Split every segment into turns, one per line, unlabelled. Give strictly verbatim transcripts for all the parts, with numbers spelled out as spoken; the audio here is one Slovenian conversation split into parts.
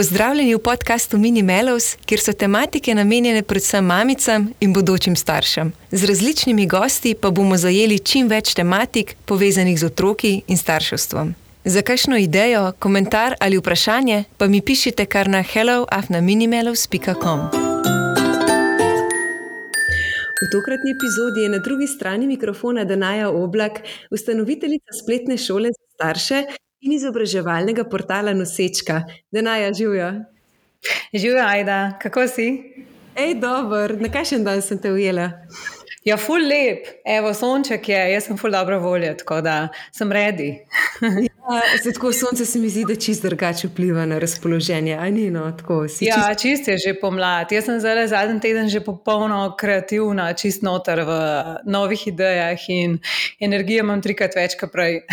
Pozdravljeni v podkastu Mini Mellows, kjer so tematike namenjene predvsem mamicam in bodočim staršem. Z različnimi gosti pa bomo zajeli čim več tematik, povezanih z otroki in starševstvom. Za kakšno idejo, komentar ali vprašanje pa mi pišite kar na hello afna minimellows pika com. V tokratni epizodi je na drugi strani mikrofona Danaja Oblak, ustanoviteljica spletne šole za starše in izobraževalnega portala Nosečka. Danaja, živjo.
Živjo, Ajda. Kako si?
Ej, dober. Na kakšen dan sem te ujela?
Ja, ful lep. Evo, sonček je, jaz sem ful dobro volja, tako da sem ready.
Ja, tako sonce se mi zdi, da čist drugače vpliva na razpoloženje, a ni no, tako si
Ja,
čist...
čist je že pomlad. Jaz sem zdaj zadnji teden že popolno kreativna, čist noter v novih idejah in energije imam trikrat več kot prej.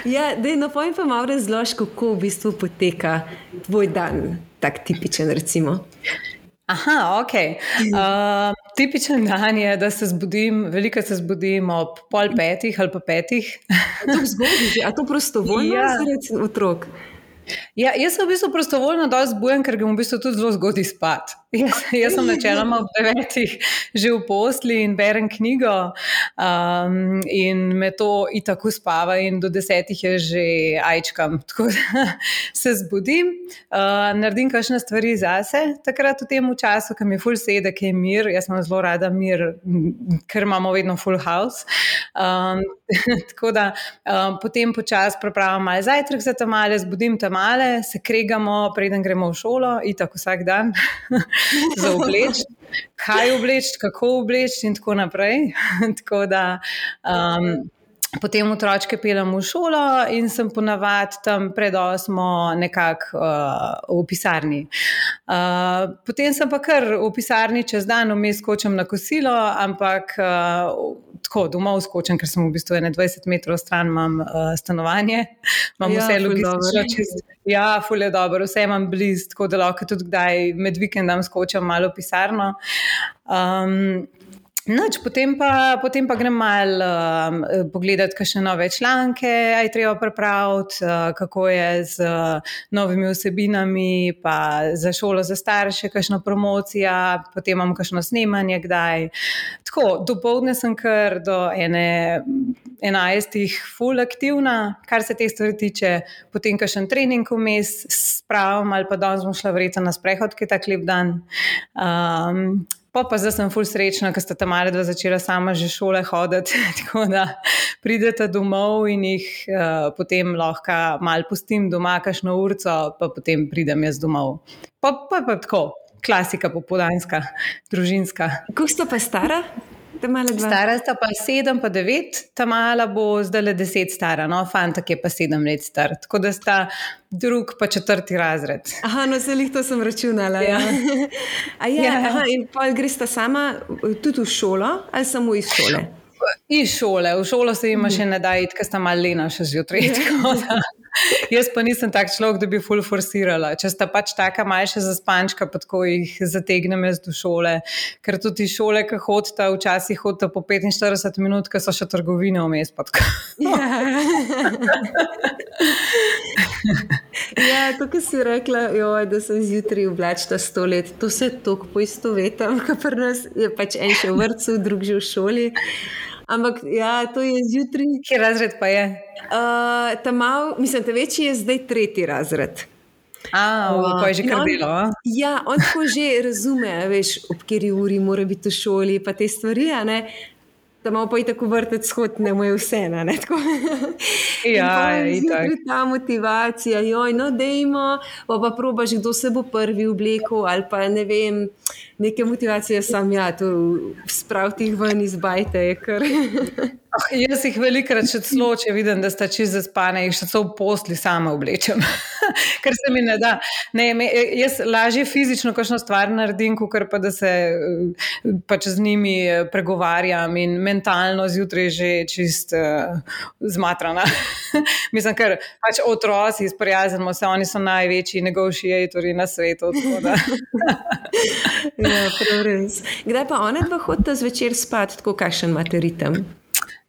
Ja, dej, no povem pa malo razlož, kako v bistvu poteka tvoj dan, tak tipičen recimo.
Aha, ok. Uh, tipičen dan je, da se zbudim, veliko se zbudim ob pol petih ali pa petih.
To zgodi, a to prostovoljno
Ja.
zaradi otrok?
Ja, jaz sem v bistvu prostovoljno dosti zbujen, ker grem v bistvu tudi zelo zgodaj spat. Jaz, jaz sem načeloma ob devetih že v posli in berem knjigo um, in me to itak uspava in do desetih je že ajčkam. Tako da se zbudim, uh, naredim kakšne stvari zase, takrat v tem času, ko mi ful sede, ki je mir. Jaz imam zelo rada mir, ker imamo vedno full house. Um, tako da um, potem počas pripravim malo zajtrk za tamale, zbudim tamale, se kregamo, preden gremo v šolo, itak vsak dan, za obleč, kaj obleč, kako obleč in tako naprej. Tako da um, potem otročke peljem v šolo in sem ponavadi tam pred osmo nekako uh, v pisarni. Uh, potem sem pa kar v pisarni čez dan, vmes skočim na kosilo, ampak uh, tako domov skočim, ker sem v bistvu dvajset metrov stran, imam uh, stanovanje, imam
Ja,
vse
ful
logistično
dobro.
čist. Ja, ful je dobro, vse imam blizu, tako da lahko tudi kdaj med vikendom skočim malo v pisarno. Um, Noč, potem pa, potem pa grem malo um, pogledati kakšne nove članke, aj treba pripraviti, uh, kako je z uh, novimi vsebinami, pa za šolo za starše, kakšna promocija, potem imam kakšno snemanje kdaj. Tako, dopoldne sem kar do ene enajstih ful aktivna, kar se te stvari tiče, potem kakšen trening vmes spravim ali pa danes bom šla verjetno na sprehod, ki je tak lep dan. Um, Pa pa zdaj sem ful srečna, ker sta tamale dva začela sama že šole hoditi, tako da prideta domov in jih uh, potem lahko malo pustim doma, kakšno urco, pa potem pridem jaz domov. Pa pa, pa tako, klasika popoldanska, družinska.
Kako sta pa stara? Tamale dva?
Stara sta pa sedem pa devet, tamala bo zdajle deset stara, no, fantak je pa sedem let star, tako da sta drug pa četrti razred.
Aha, no se lih to sem računala. Ja. A ja,
Ja.
aha, in pa gresta sama tudi v šolo ali samo iz šole?
Iz šole, v šolo se jima še ne da iti, ker sta malo lena še zjutraj. Tako da jaz pa nisem tak človek, da bi ful forsirala. Če sta pač taka manjša zaspančka, pa tako jih zategnem jaz do šole, ker tudi iz šole, ki hodita, včasih hodita po petinštirideset minut, ker so še trgovine vmes. Pa tako.
Ja, to, kar si rekla, joj, da sem zjutraj oblačila sto let, to se toliko poistovetam, ker pri nas je pač en še v vrtcu, drug že v šoli. Ampak ja, to je zjutraj.
Kje razred pa je?
Uh, ta mal, mislim, ta večji je zdaj tretji razred.
A, uh, pa je že
in
kar
on-
delo, a?
Ja, on tako že razume, a veš, ob kateri uri mora biti v šoli, pa te stvari, a ne. Da malo pa i tako vrtec shod, ne mu je vse, ne, tako.
Ja,
in
itak.
zjutraj ta motivacija, joj, no dejmo, pa pa probaš, kdo se bo prvi oblekel, ali pa ne vem, neke motivacije sam, ja, to spraviti jih ven iz bajte je kar.
Oh, jaz jih velikrat še celo, če vidim, da sta čist zaspane, jih še celo v posli sama oblečem. Ker se mi ne da. Ne, me, jaz lažje fizično kakšno stvar naredim, kakor pa da se eh, pač z njimi eh, pregovarjam in mentalno zjutraj že čist uh, zmatrana. Mislim, ker pač otroci izprijaznimo se, oni so največji negotiatorji na svetu. Tako da.
Ja, prav res. Kdaj pa ona dva hodita zvečer spat, tako kakšen imate ritem?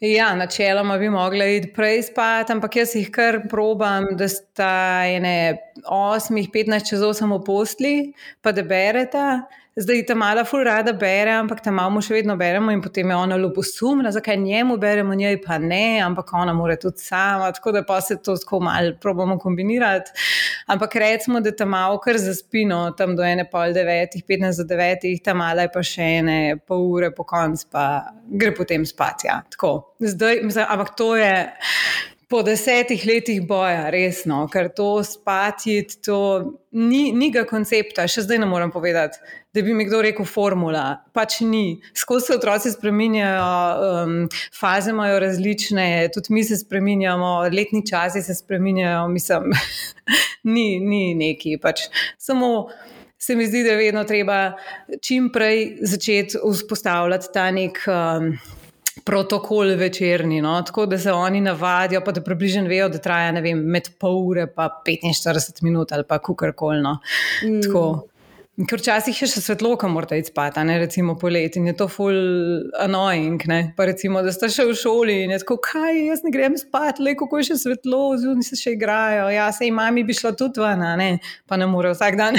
Ja, načeloma bi mogla iti prej spat, ampak jaz jih kar probam, da sta ene osmih, petnajst čez osem v postli, pa da bereta. Zdaj ta mala ful rada bere, ampak ta malo še vedno beremo in potem je ona ljubosumna, zakaj njemu beremo, njej pa ne, ampak ona mora tudi sama, tako da pa se to tako malo probamo kombinirati. Ampak recimo, da ta malo kar zaspino, tam do ene pol devetih, petnajst do devetih, ta mala je pa še ene pol ure po konc, pa gre potem spat, ja, tako. Zdaj, mislim, ampak to je po desetih letih boja, resno, ker to spati, to ni, ni ga koncepta, še zdaj ne moram povedati, da bi mi kdo rekel formula, pač ni. Skozi se otroci spreminjajo, um, faze imajo različne, tudi mi se spreminjamo, letni časi se spreminjajo, mislim, ni, ni neki, pač samo se mi zdi, da je vedno treba čim prej začeti vzpostavljati ta nek um, protokol večerni, no? Tako da se oni navadijo, pa da približno vejo, da traja, ne vem, med pol ure pa petinštirideset minut ali pa kukarkoli, no. Mm. Tako. Ker včasih je še svetlo, ko morate iti spat, ne, recimo poleti in je to ful annoying, ne, pa recimo, da ste še v šoli in je tako, kaj, jaz ne grem spat, le, kako je še svetlo, zunaj se še igrajo, ja, sej mami bi šla tudi ven, ne, pa ne more vsak dan.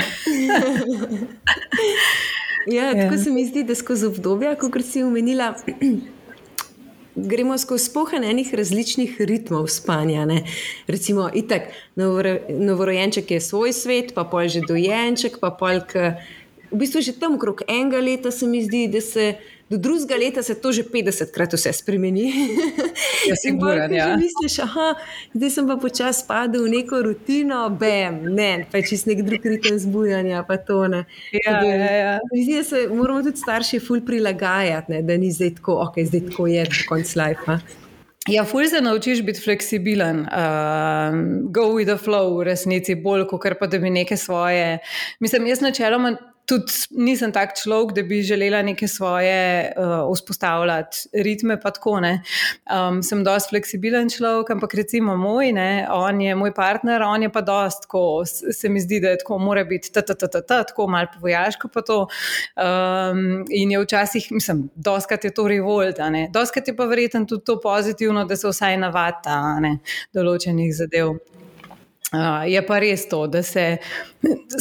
Ja, tako se mi zdi, da skozi obdobja, kakor si omenila, gremo skozi spohen enih različnih ritmov spanja, ne. Recimo, itak, novoro, novorojenček je svoj svet, pa pol že dojenček, pa pol, k, v bistvu že tam okrog enega leta se mi zdi, da se do drugega leta se to že petdesetkrat vse spremeni.
Ja, siguran, ja.
In misliš, aha, zdaj sem pa počas padel v neko rutino, bam, ne, pa je čist nek drug ritem zbujanja, pa to, ne.
Ja, da, ja, ja.
Zdi se, moramo tudi starši ful prilagajati, ne, da ni zdaj tako, ok, zdaj tako je do konc life.
Ja, ful se naučiš biti fleksibilen, uh, go with the flow v resnici, bolj, kot pa da bi neke svoje, mislim, jaz načeloma tudi nisem tak človek, da bi želela neke svoje uh, vzpostavljati ritme, pa tako, ne. Um, sem dosti fleksibilen človek, ampak recimo moj, ne, on je moj partner, on je pa dosti tako, se mi zdi, da je tako, mora biti ta, ta, ta, ta, ta, tako malo povojaško pa to. Um, in je včasih, mislim, dostkrat je to revolt, ne. Dostkrat je pa verjetno tudi to pozitivno, da se vsaj navata, ne, določenih zadev. Uh, je pa res to, da se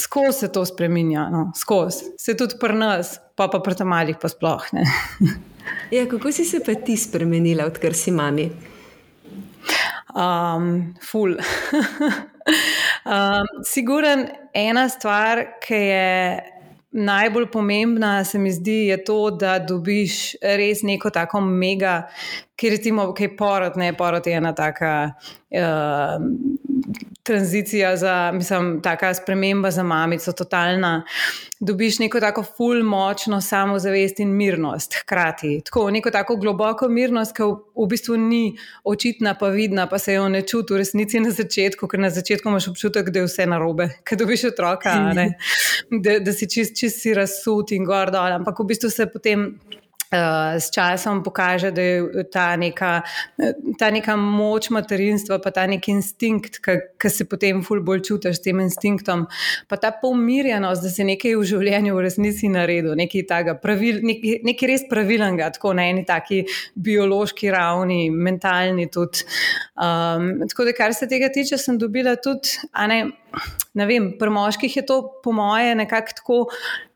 skozi se to spreminja, no, skozi. Se tudi pri nas, pa pa pri malih pa sploh, ne.
Ja, kako si se pa ti spremenila, odkar si mami?
Um, ful. um, siguren ena stvar, ki je najbolj pomembna, se mi zdi, je to, da dobiš res neko tako mega, ki recimo, kaj porod, ne, porod je ena taka uh, tranzicija za, mislim, taka sprememba za mamico, totalna. Dobiš neko tako ful močno samozavest in mirnost hkrati. Tako, neko tako globoko mirnost, ki v, v bistvu ni očitna pa vidna, pa se jo ne čuti v resnici na začetku, ker na začetku imaš občutek, da je vse narobe, ker dobiš otroka, ne? Da, da si čist, čist si razsut in gor dol, ampak v bistvu se potem Uh, s časom pokaže, da je ta neka, ta neka moč materinstva, pa ta nek instinkt, ki se potem ful bolj čutiš s tem instinktom, pa ta pomirjenost, da se nekaj v življenju v resnici naredil, nekaj takega, pravil, nekaj, nekaj res pravilnega, tako na eni taki biološki ravni, mentalni tudi. Um, tako da, kar se tega tiče, sem dobila tudi, a ne, ne vem, pri moških je to po moje nekako tako,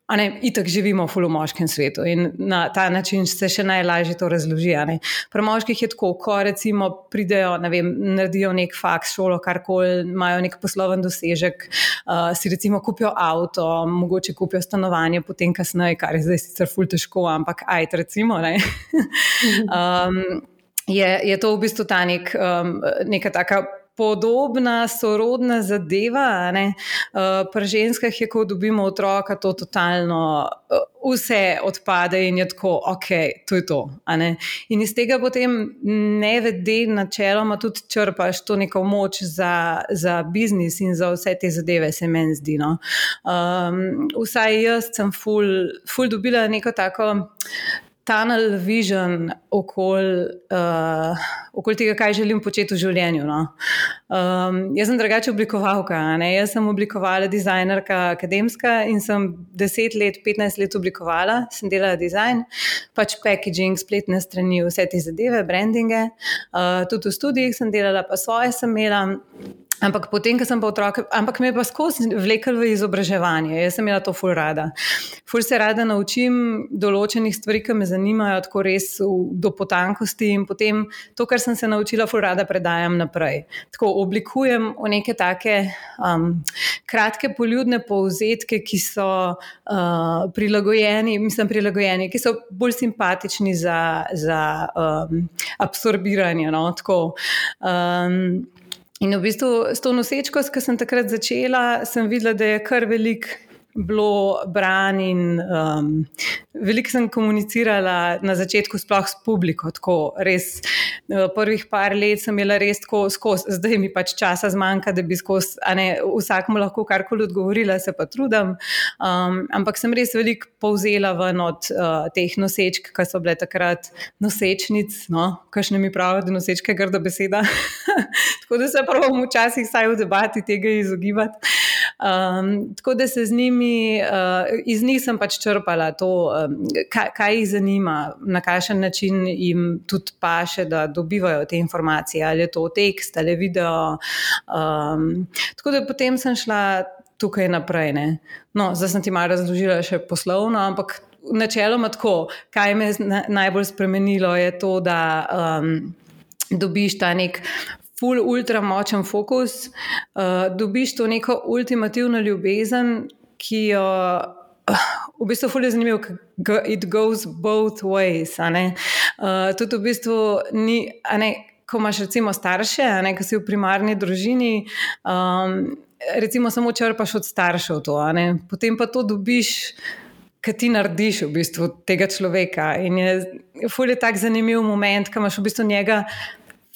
a ne, itak živimo ful v moškem svetu in na ta način se še najlažje to razloži, a ne. Pri moških je tako, ko recimo pridejo, ne vem, naredijo nek faks, šolo, karkoli, imajo nek posloven dosežek, uh, si recimo kupijo avto, mogoče kupijo stanovanje, potem kasneje, kar je zdaj sicer ful težko, ampak ajt recimo, ne. um, je, je to v bistvu ta nek, um, neka taka podobna, sorodna zadeva, ne. Uh, pri ženskah je, ko dobimo otroka, to totalno uh, vse odpade in je tako, ok, to je to, a ne. In iz tega potem nevede načeloma tudi črpaš to neko moč za, za biznis in za vse te zadeve, se meni zdi, no. Um, vsaj jaz sem ful, ful dobila neko tako tunnel vision okoli uh, okol tega, kaj želim početi v življenju. No. Um, jaz sem drugače oblikovalka, ne? Jaz sem oblikovala dizajnerka akademska in sem deset let, petnajst let oblikovala, sem delala dizajn, pač packaging, spletne strani, vse te zadeve, brandinge, uh, tudi v studijih sem delala, pa svoje sem imela. Ampak potem, ko sem pa otroke, ampak me je pa skozi vlekel v izobraževanje. Jaz sem imela to ful rada. Ful se rada naučim določenih stvari, ki me zanimajo, tako res v, do potankosti in potem to, kar sem se naučila, ful rada predajam naprej. Tako oblikujem v neke take um, kratke poljudne povzetke, ki so uh, prilagojeni, mislim prilagojeni, ki so bolj simpatični za, za um, absorbiranje. No? Tako, um, In v bistvu s to nosečkost, ko sem takrat začela, sem videla, da je kar veliko bilo bran in um, veliko sem komunicirala na začetku sploh s publiko, tako res prvih par let sem imela res tako skozi, zdaj mi pač časa zmanjka, da bi skozi, a ne, vsakmu lahko karkoli odgovorila, se pa trudim, um, ampak sem res veliko povzela ven od uh, teh nosečk, ki so bile takrat nosečnic, no, kakšne mi pravijo, da nosečka je grda beseda, tako da se pravim včasih saj v debati tega izogibati. Um, tako da se z njimi, uh, iz njih sem pač črpala to, um, kaj, kaj jih zanima, na kakšen način jim tudi paše, da dobivajo te informacije, ali je to tekst, ali je video. Um, tako da potem sem šla tukaj naprej. Ne? No, zdaj sem ti malo razložila še poslovno, ampak načeloma tako, kaj me je najbolj spremenilo, je to, da um, dobiš ta nek ful ultra močen fokus, uh, dobiš to neko ultimativno ljubezen, ki jo uh, v bistvu ful je zanimivo, it goes both ways, a ne. Uh, tudi v bistvu ni, a ne, ko imaš recimo starše, a ne, ko si v primarni družini, um, recimo samo črpaš od staršev to, a ne, potem pa to dobiš, kaj ti narediš v bistvu tega človeka in je ful je tak zanimiv moment, ko imaš v bistvu njega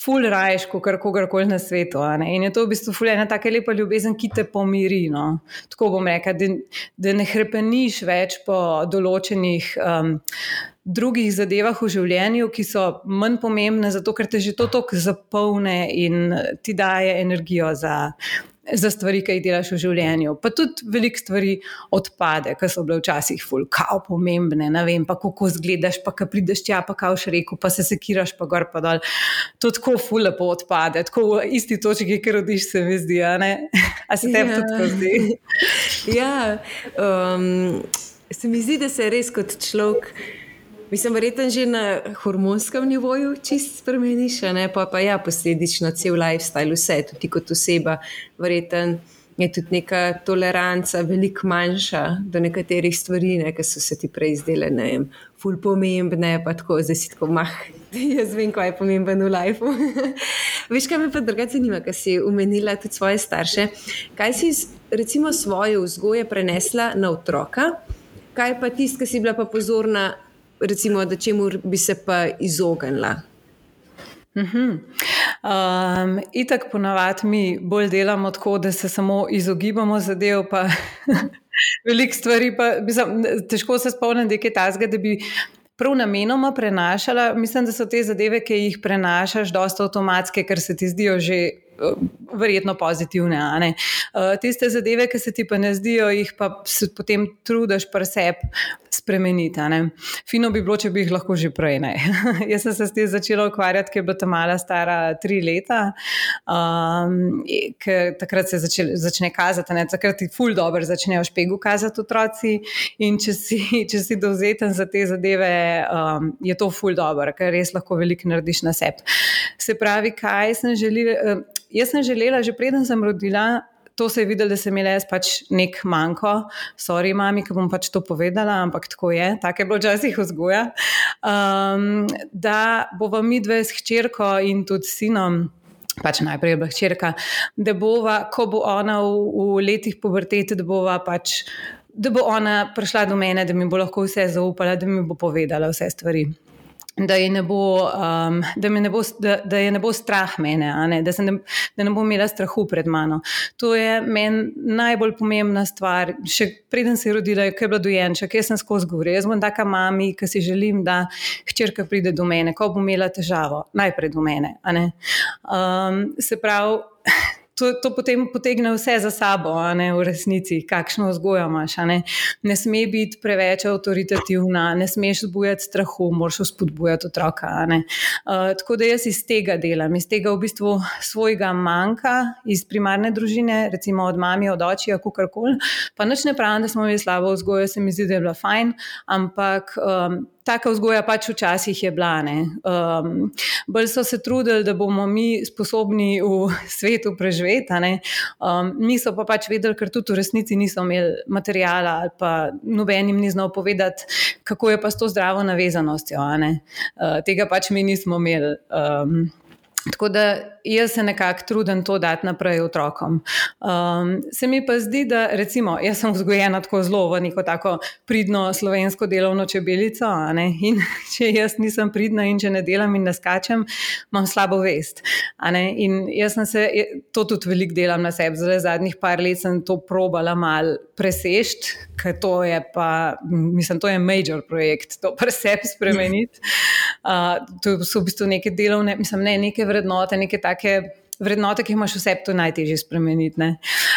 ful raješ, kot kogarkoli na svetu. Ne? In je to v bistvu ful ena taka lepa ljubezen, ki te pomiri. No? Tako bom rekla, da, da ne hrepeniš več po določenih um, drugih zadevah v življenju, ki so manj pomembne, zato ker te že to toliko zapolne in ti daje energijo za, za stvari, ki jih delaš v življenju. Pa tudi veliko stvari odpade, ki so bile včasih ful kao pomembne, ne vem, pa kako zgledaš, pa ko prideš tja, pa kao še rekel, pa se sekiraš, pa gor, pa dol. To tako ful lepo odpade, tako v isti točki, ki rodiš, se mi zdi, a ne? A se tebi tudi tako zdi?
Ja, um, se mi zdi, da se res kot človek, mislim, verjetno že na hormonskem nivoju čist spremeniš, ne? Pa, pa ja, posledično cel lifestyle, vse, tudi kot oseba, verjetno je tudi neka toleranca veliko manjša do nekaterih stvari, ne, ki so se ti prej zdele, ne vem, ful pomembne, pa tako, zdaj si tako, mah, jaz vem, kaj je pomemben v lifeu. Veš, kaj me pa drugače zanima, kaj si omenila tudi svoje starše, kaj si recimo svoje vzgoje prenesla na otroka, kaj pa tist, ki si bila pa pozorna, recimo, da čemu bi se pa izognila?
Mm-hmm. Um, itak ponavadi mi bolj delamo tako, da se samo izogibamo zadev, pa veliko stvari, pa mislim, težko se spomnim, da je kaj takega, da bi prav namenoma prenašala. Mislim, da so te zadeve, ki jih prenašaš, dosta avtomatske, ker se ti zdijo že verjetno pozitivne, a ne. Uh, tiste zadeve, ki se ti pa ne zdijo, jih pa se potem trudiš pri sebi spremeniti, a ne. Fino bi bilo, če bi jih lahko že prej, ne. Jaz sem se s tem začela ukvarjati, ker je bila ta mala stara tri leta, um, ker takrat se začel, začne kazati, ne, takrat ti ful dobro začnejo špegu kazati otroci in če si, če si dovzeten za te zadeve, um, je to ful dobro, ker res lahko veliko narediš na sebi. Se pravi, kaj sem želela, jaz sem želela, že preden sem rodila, to se je videlo, da sem imela jaz pač nek manjko, sorry mami, ki bom pač to povedala, ampak tako je, tako je bilo včasih vzgoja, um, da bova midve s hčerko in tudi sinom, pač najprej je bila hčerka, da bova, ko bo ona v, v letih pubertete, da bova pač, da bo ona prišla do mene, da mi bo lahko vse zaupala, da mi bo povedala vse stvari. da je ne bo, um, da me ne bo, da, da je ne bo strah mene, a ne? Da, se ne, da ne bo imela strahu pred mano. To je meni najbolj pomembna stvar. Še preden se je rodila, ko je bila dojenček, jaz sem skozi govorila. Jaz bom taka mami, ki si želim, da hčerka pride do mene, ko bo imela težavo, najprej do mene, a ne? Um, se pravi, To, to potem potegne vse za sabo, a ne, v resnici, kakšno vzgojo imaš. A ne. Ne sme biti preveč avtoritativna, ne smeš zbujati strahu, moraš vzpodbujati otroka. A ne. Uh, tako da jaz iz tega delam, iz tega v bistvu svojega manjka, iz primarne družine, recimo od mami, od očija, kakorkoli. Pa nič ne pravim, da smo imeli slabo vzgojo, se mi zdi, da je bila fajn, ampak um, taka vzgoja pač včasih je bila. Um, bolj so se trudili, da bomo mi sposobni v svetu preživeti. Um, niso pa pač vedeli, ker tudi v resnici niso imeli materijala ali pa noben jim ni znal povedati, kako je pa s to zdravo navezanostjo. Uh, tega pač mi nismo imeli. Um, Tako da jaz se nekako trudim to dati naprej otrokom. Um, se mi pa zdi, da recimo, jaz sem vzgojena tako zelo v neko tako pridno slovensko delovno čebelico, a ne? In če jaz nisem pridna in če ne delam in ne skačem, imam slabo vest. A ne? In jaz sem se, to tudi veliko delam na sebi, zdaj zadnjih par let sem to probala mal presešti, ker to je pa, mislim, to je major projekt, to pri sebi spremeniti. Uh, to so v bistvu neke delovne, mislim, ne, neke vrednote, neke take vrednote, ki jih imaš v sebi, to je najtežje spremeniti. Ne?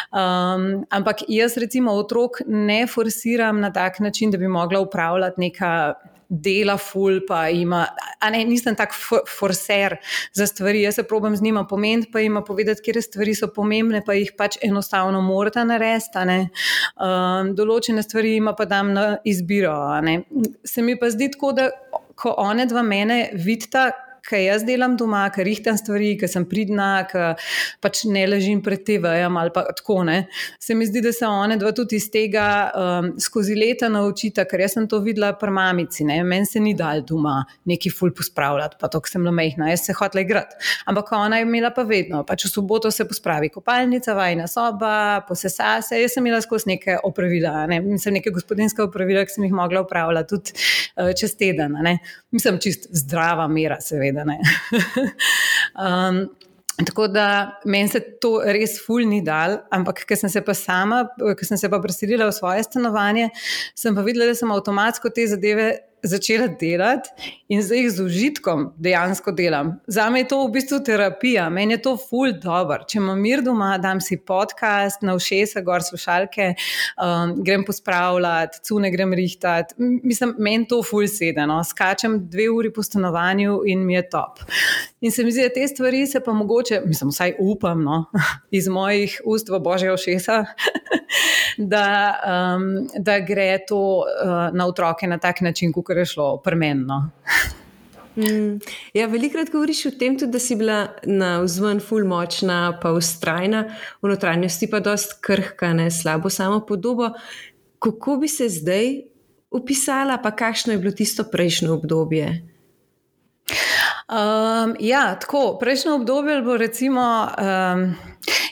Um, ampak jaz recimo otrok ne forsiram na tak način, da bi mogla upravljati neka dela ful, pa ima, a ne, nisem tak forser za stvari, jaz se probam z njima pomeniti, pa jima povedati, kje stvari so pomembne, pa jih pač enostavno morata narediti, a ne. Um, določene stvari jima pa dam na izbiro, a ne. Se mi pa zdi tako, da ko one dva mene vidita, kaj jaz delam doma, ker rihtam stvari, ker sem pridna, ker pač ne ležim pred te vejem ali pa tako, ne. Se mi zdi, da se one dva tudi iz tega um, skozi leta naučita, ker jaz sem to videla pri mamici, ne. Meni se ni dal doma neki ful pospravljati, pa to, ko sem bila majhna, jaz se hotela igrati. Ampak ona je imela pa vedno, pač v soboto se pospravi kopalnica, vajna soba, posesa se, jaz sem imela skozi neke opravila, ne. Mislim, neke gospodinske opravila, ki sem jih mogla upravljati tudi uh, čez teden, ne. Mislim, čist zdrava mera, seveda. um, tako da meni se to res ful ni dal, ampak ker sem se pa sama, ker sem se pa preselila v svoje stanovanje, sem pa videla, da sem avtomatsko te zadeve začela delati in zdaj jih z užitkom dejansko delam. Zame je to v bistvu terapija, meni je to ful dober. Če imam mir doma, dam si podcast, na ušesa, gor slušalke, um, grem pospravljati, cune grem rihtati. Mislim, meni to ful sede, no. Skačem dve uri po stanovanju in mi je top. In se mi zdi, da te stvari se pa mogoče, mislim, vsaj upam, no, iz mojih ust v božje ušesa, da, um, da gre to uh, na otroke na tak način, kot je šlo premenno.
Mm, ja, velikrat govoriš o tem tudi, da si bila na vzven ful močna, pa vztrajna, v notranjosti pa dost krhka, ne, slabo samopodobo. Kako bi se zdaj opisala, pa kakšno je bilo tisto prejšnje obdobje?
Um, ja, tako, prejšnje obdobje bo recimo, um,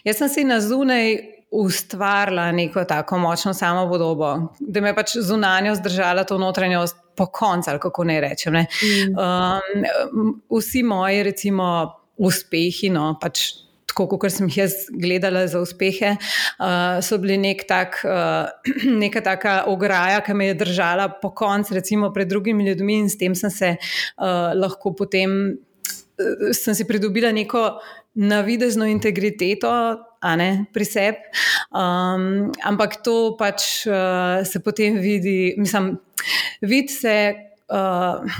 jaz sem si na zunaj ustvarila neko tako močno samopodobo, da me pač zunanjo zdržala to notranjost po koncu, ali kako ne rečem. Ne? Mm. Um, vsi moji recimo uspehi, no, pač tako, kot sem jih jaz gledala za uspehe, uh, so bili nek tak, uh, neka taka ograja, ki me je držala po koncu recimo pred drugimi ljudmi in s tem sem se uh, lahko potem, uh, sem si pridobila neko navidezno integriteto, a ne, pri sebi, um, ampak to pač uh, se potem vidi, mislim, vidi se, uh,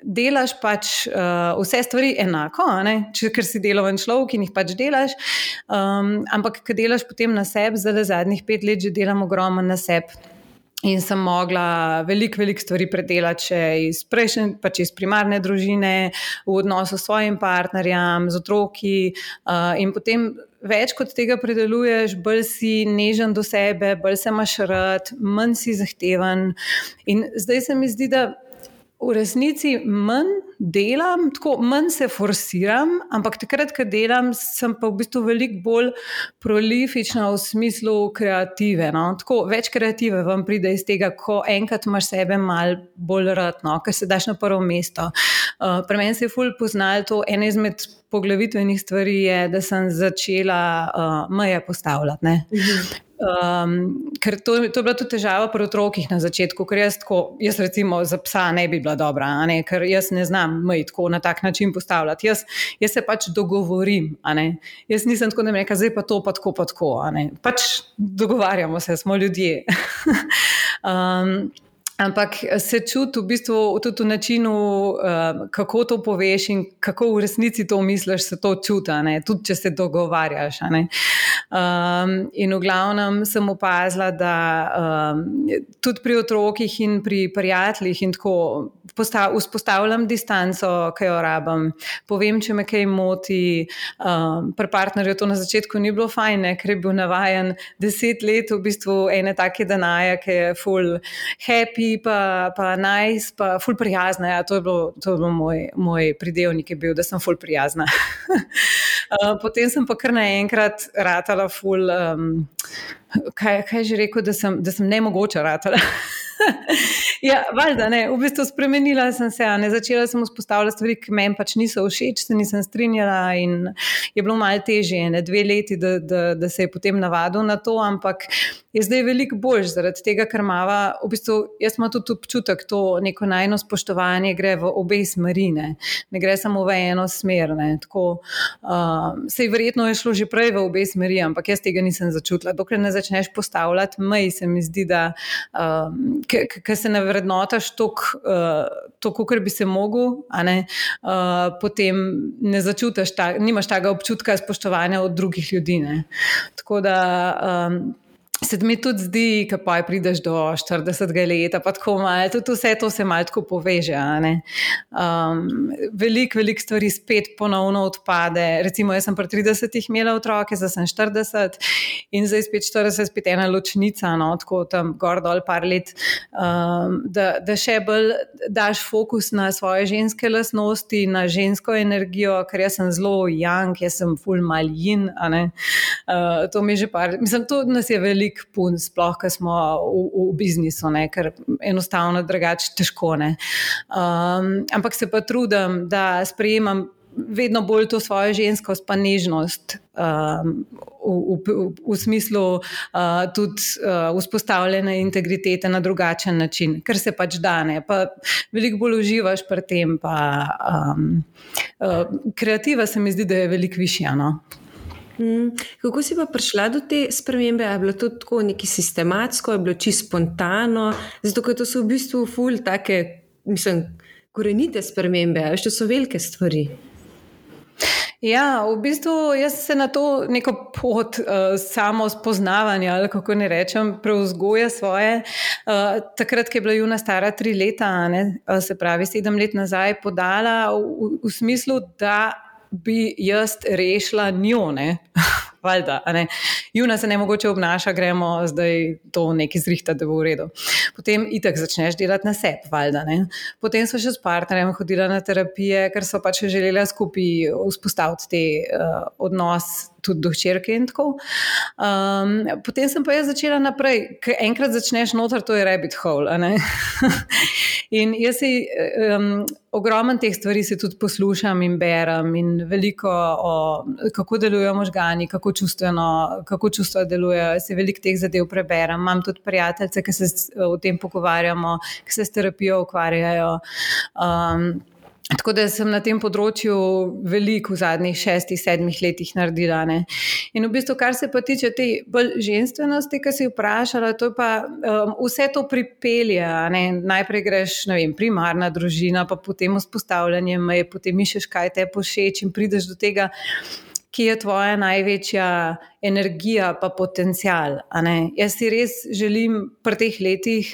delaš pač uh, vse stvari enako, a ne, če, ker si deloven človek in jih pač delaš, um, ampak ko delaš potem na sebi, zdaj zadnjih pet let že delam ogromno na sebi. In sem mogla veliko, veliko stvari predelati še iz prejšnje, pač iz primarne družine, v odnosu s svojim partnerjem, z otroki, uh, in potem več kot tega predeluješ, bolj si nežen do sebe, bolj se imaš rad, manj si zahteven. In zdaj se mi zdi, da v resnici manj delam, tako manj se forsiram, ampak takrat, ko delam, sem pa v bistvu veliko bolj prolifična v smislu kreative. No? Tako več kreative vam pride iz tega, ko enkrat imaš sebe malo bolj rad, no? Ker se daš na prvo mesto. Uh, pri meni se je ful poznalo to, ena izmed poglavitvenih stvari je, da sem začela uh, meje postavljati. Ne? Mhm. Um, ker to, to je bila tudi težava pri otrokih na začetku, ker jaz, tako, jaz recimo za psa ne bi bila dobra, a ne? Ker jaz ne znam mej tako na tak način postavljati. Jaz, jaz se pač dogovorim, a ne? Jaz nisem tako, da mi reka, zdaj pa to, pa tako, pa tako, a ne? Pač dogovarjamo se, smo ljudje. um, Ampak se čuti v bistvu tudi v načinu, uh, kako to poveš in kako v resnici to misliš, se to čuti, ne? Tudi če se dogovarjaš. A ne? Um, in v glavnem sem opazila, da um, tudi pri otrokih in pri prijateljih in tako postav, vzpostavljam distanco, ki jo rabim, povem, če me kaj moti. Um, pri partnerju to na začetku ni bilo fajn, ne? Ker je bil navajen deset let v bistvu ene take danaje, ki je full happy, pa, pa nice, pa ful prijazna. Ja, to je bilo, to je bilo moj, moj pridevnik je bil, da sem ful prijazna. Potem sem pa kar naenkrat ratala ful, um, kaj, kaj že rekel, da sem, da sem nemogoča ratala. Ja, valjda, ne, v bistvu spremenila sem se, ne, začela sem vzpostavljati stvari, ki meni pač niso všeč, se nisem strinjala in je bilo malo težje, ne, dve leti, da, da, da se je potem navadil na to, ampak je zdaj veliko boljš zaradi tega, ker mava, v bistvu, jaz imam tudi občutek, to neko najno spoštovanje gre v obe smeri, ne, ne gre samo v eno smer, ne, tako, uh, sej verjetno je šlo že prej v obe smeri, ampak jaz tega nisem začutila, dokler ne začneš postavljati mej, se mi zdi, da um, ker se ne vrednotaš toliko, uh, kakor bi se mogel, a ne, uh, potem ne začutiš, ta, nimaš tega občutka spoštovanja od drugih ljudi. Ne. Tako da um, se mi tudi zdi, ko pa prideš do štiridesetega leta, pa tako malo, tudi vse to se malo tako poveže. Um, veliko, veliko stvari spet ponovno odpade. Recimo, jaz sem pri tridesetih imela otroke, zdaj sem štirideset in zdaj spet štirideset, spet ena ločnica, no, tako tam gor dol par let, um, da, da še bolj daš fokus na svoje ženske lastnosti, na žensko energijo, ker jaz sem zelo young, jaz sem ful mal yin, a ne. Uh, to mi že par, mislim, to nas je veliko pun, sploh, ko smo v, v biznisu, ne, ker enostavno drugače težko, ne. Um, ampak se pa trudim, da sprejemam vedno bolj to svojo ženskost pa nežnost um, v, v, v smislu uh, tudi uh, vzpostavljene integritete na drugačen način, ker se pač dane, pa veliko bolj uživaš pri tem, pa um, uh, kreativa se mi zdi, da je veliko višja, no.
Hmm. Kako si pa prišla do te spremembe? Je bilo to tako nekaj sistematsko, je bilo čisto spontano? Zato, ker to so v bistvu ful take, mislim, korenite spremembe, veš, to so velike stvari.
Ja, v bistvu jaz se na to neko pot uh, samo spoznavanja, ali kako ne rečem, preuzgoja svoje. Uh, takrat, ko je bila Juna stara tri leta, ne, uh, se pravi sedem let nazaj, podala v, v smislu, da bi jaz rešila njo, ne, valjda, a ne. Juna se ne mogoče obnaša, gremo zdaj to nekaj zrihta, da bo v redu. Potem itak začneš delati na sebi, valjda, ne. Potem so še s partnerjem hodila na terapije, ker so pač želela skupaj vzpostaviti te uh, odnos tudi do hčerke in tako. Um, potem sem pa jaz začela naprej, ker enkrat začneš noter, to je rabbit hole, a ne. In jaz si um, ogromen teh stvari se tudi poslušam in berem in veliko o kako delujejo možgani, kako čustveno, kako čustva delujejo, se veliko teh zadev preberem. Imam tudi prijateljice, ki se o tem pogovarjamo, ki se s terapijo ukvarjajo. Um, Tako da sem na tem področju veliko v zadnjih šestih, sedmih letih naredila. Ne. In v bistvu, kar se pa tiče te bolj ženstvenosti, ki si vprašala, to je pa um, vse to pripelje. Ne. Najprej greš, ne vem, primarna družina, pa potem vzpostavljanje meje, potem iščeš, kaj te pošeč in prideš do tega, ki je tvoja največja energija pa potencial. A ne? Jaz si res želim pri teh letih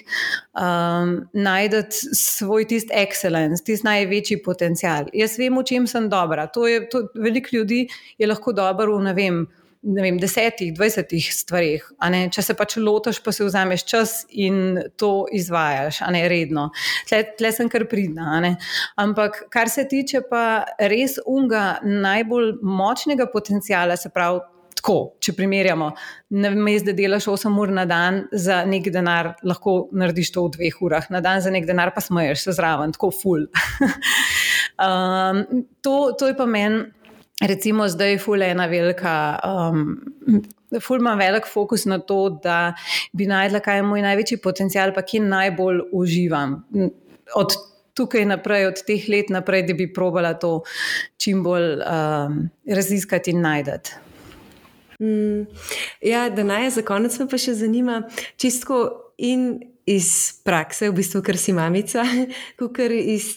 um, najdeti svoj tist excellence, tist največji potencial. Jaz vem, v čem sem dobra. To je, to, veliko ljudi je lahko dobro v, ne vem, ne vem, desetih, dvajsetih stvarih, a ne, če se pač lotaš, pa si vzameš čas in to izvajaš, a ne, redno. Tle, tle sem kar pridna, a ne. Ampak, kar se tiče pa res unga najbolj močnega potenciala, se pravi, tako, če primerjamo, namesto da delaš osem ur na dan za nek denar, lahko narediš to v dveh urah na dan, za nek denar pa smeješ se zraven, tako ful. um, to, to je pa meni, recimo zdaj ful ena velika, um, ful imam velik fokus na to, da bi najdla, kaj je moj največji potencial, pa kje najbolj uživam. Od tukaj naprej, od teh let naprej, da bi probala to čim bolj um, raziskati in najdati.
Mm, ja, Danaja, za konec me pa še zanima, čistko in iz prakse, v bistvu, ker si mamica, ker iz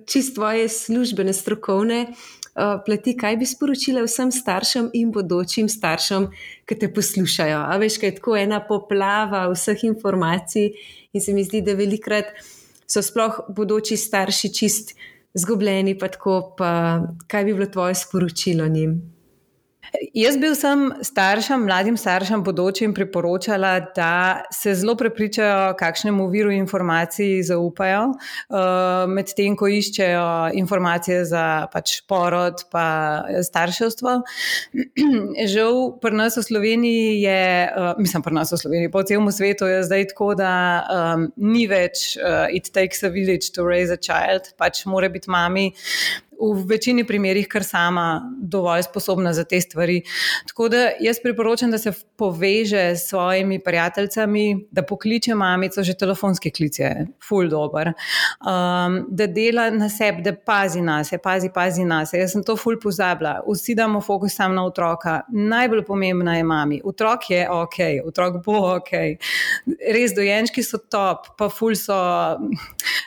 čist tvoje službene, strokovne uh, plati, kaj bi sporočila vsem staršem in bodočim staršem, ki te poslušajo? A veš, kaj je tako ena poplava vseh informacij in se mi zdi, da velikrat so sploh bodoči starši čist zgubljeni, pa tako, pa kaj bi bilo tvoje sporočilo njim?
Jaz bi vsem staršem, mladim staršem, bodočim priporočala, da se zelo prepričajo, kakšnemu viru informacij zaupajo, med tem, ko iščejo informacije za pač porod pa starševstvo. Žal pri nas v Sloveniji je, mislim pri nas v Sloveniji, po celem svetu je zdaj tako, da um, ni več uh, it takes a village to raise a child, pač mora biti mami v večini primerih kar sama dovolj sposobna za te stvari. Tako da jaz priporočam, da se poveže s svojimi prijateljicami, da pokliče mamico, že telefonski klic je ful dober, um, da dela na sebi, da pazi nase, pazi, pazi nase. Jaz sem to ful pozabila. Vsi damo fokus sam na otroka. Najbolj pomembna je mami. Otrok je ok, otrok bo ok. Res dojenčki so top, pa ful so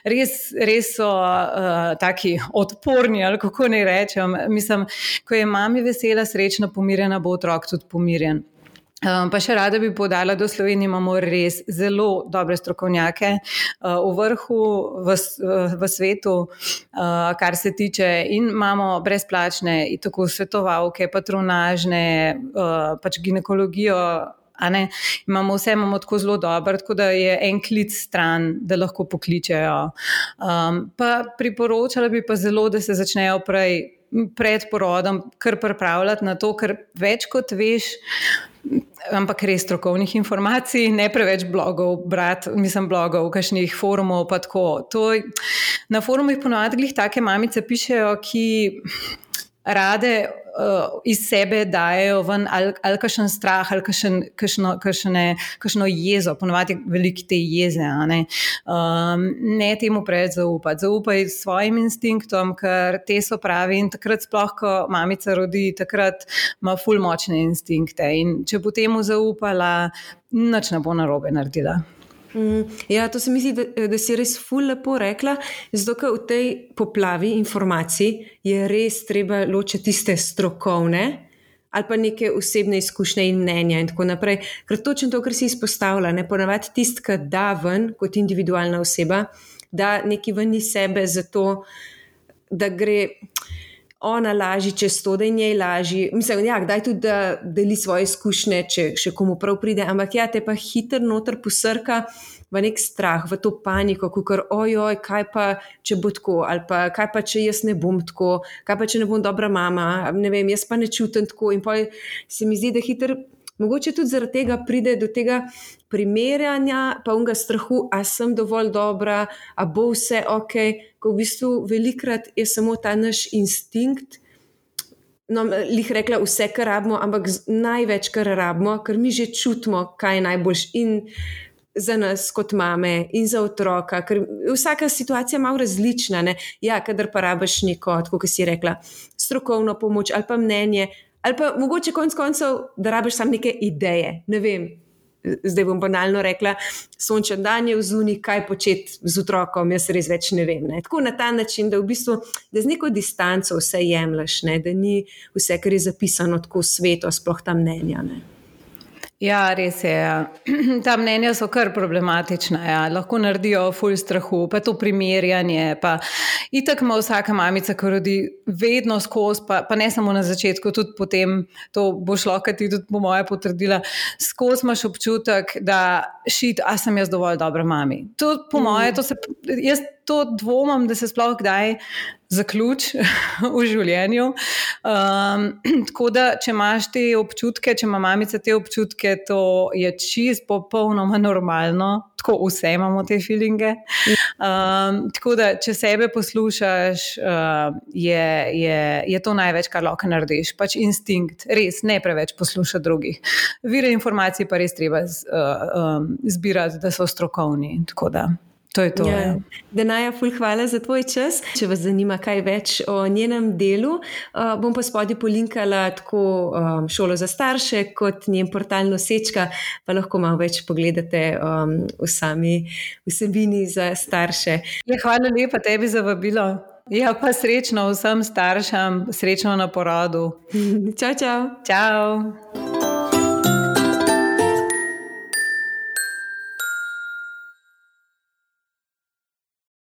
res, res so uh, taki odporni, ali kako ne rečem. Mislim, ko je mami vesela, srečna, pomirjena, bo otrok tudi pomirjen. Um, pa še rada bi povedala, da v Sloveniji imamo res zelo dobre strokovnjake uh, v vrhu v, v svetu, uh, kar se tiče, in imamo brezplačne in tako svetovalke, patronažne, uh, pač ginekologijo, a ne, imamo vse, imamo tako zelo dobro, tako da je en klic stran, da lahko pokličejo. Um, pa priporočala bi pa zelo, da se začnejo prej, pred porodom kar pripravljati na to, ker več kot veš, ampak res strokovnih informacij, ne preveč blogov brati, mislim blogov, kakšnih forumov pa tako. To, na forumih ponovadi glih take mamice pišejo, ki rade uh, iz sebe dajejo ven ali, ali kakšen strah, ali kakšen, kakšno, kakšne, kakšno jezo, ponovadi veliki te jeze, a ne. Um, ne temu preveč zaupati. Zaupaj svojim instinktom, ker te so pravi, in takrat sploh, ko mamica rodi, takrat ima ful močne instinkte, in če bo temu zaupala, nič ne bo narobe naredila.
Ja, to se mi zdi, da, da si res ful lepo rekla, zato ker v tej poplavi informacij je res treba ločiti tiste strokovne ali pa neke osebne izkušnje in mnenja in tako naprej, ker točno to, kar si izpostavila, ne, ponavadi tist, ki da ven kot individualna oseba, da neki ven iz sebe zato, da gre ona laži čez to, da je njej laži. Mislim, ja, kdaj tudi, da deli svoje izkušnje, če še komu prav pride, ampak ja, te pa hiter noter posrka v nek strah, v to paniko, kakor ojoj, kaj pa, če bo tako, ali pa kaj pa, če jaz ne bom tako, kaj pa, če ne bom dobra mama, ne vem, jaz pa ne čutim tako, in pa se mi zdi, da hiter, mogoče tudi zaradi tega pride do tega primerjanja, pa unga strahu, a sem dovolj dobra, a bo vse ok, ko v bistvu velikrat je samo ta naš instinkt, no, lih rekla vse, kar rabimo, ampak največ, kar rabimo, ker mi že čutimo, kaj je najboljš in za nas kot mame in za otroka, ker vsaka situacija je malo različna, ne? Ja, kadar pa rabiš neko, tako kot si rekla, strokovno pomoč ali pa mnenje, ali pa mogoče konc koncev, da rabiš samo neke ideje, ne vem, zdaj bom banalno rekla, sončen dan je vzuni, kaj početi z otrokom, jaz res več ne vem. Ne? Tako na ta način, da v bistvu, da z neko distanco vse jemlješ, ne? Da ni vse, kar je zapisano tako sveto, sploh ta mnenja. Ne?
Ja, res je. Ja. Ta mnenja so kar problematična. Ja. Lahko naredijo ful strahu, pa to primerjanje. Pa itak ima vsaka mamica, ko rodi, vedno skozi, pa, pa ne samo na začetku, tudi potem, to boš lahko ti tudi po moje potrdila, skozi imaš občutek, da šit, a sem jaz dovolj dobra mami. To po moje, to se, jaz to dvomam, da se sploh kdaj zaključ v življenju. Um, tako da, če imaš te občutke, če ima mamica te občutke, to je čist popolnoma normalno. Tako vse imamo te feelinge. Um, tako da, če sebe poslušaš, uh, je, je, je to največ, kar lahko narediš. Pač instinkt, res, ne preveč poslušati drugih. Vire informacij pa res treba z, uh, um, zbirati, da so strokovni. Tako da. To je to. Ja.
Denaja, ful hvala za tvoj čas. Če vas zanima kaj več o njenem delu, uh, bom pa spodaj polinkala tako um, šolo za starše kot njen portal Nosečka, pa lahko malo več pogledate um, v sami vsebini za starše.
Ja, hvala lepa tebi za vabilo. Ja, pa srečno vsem staršem, srečno na porodu.
Čau, čau.
Čau.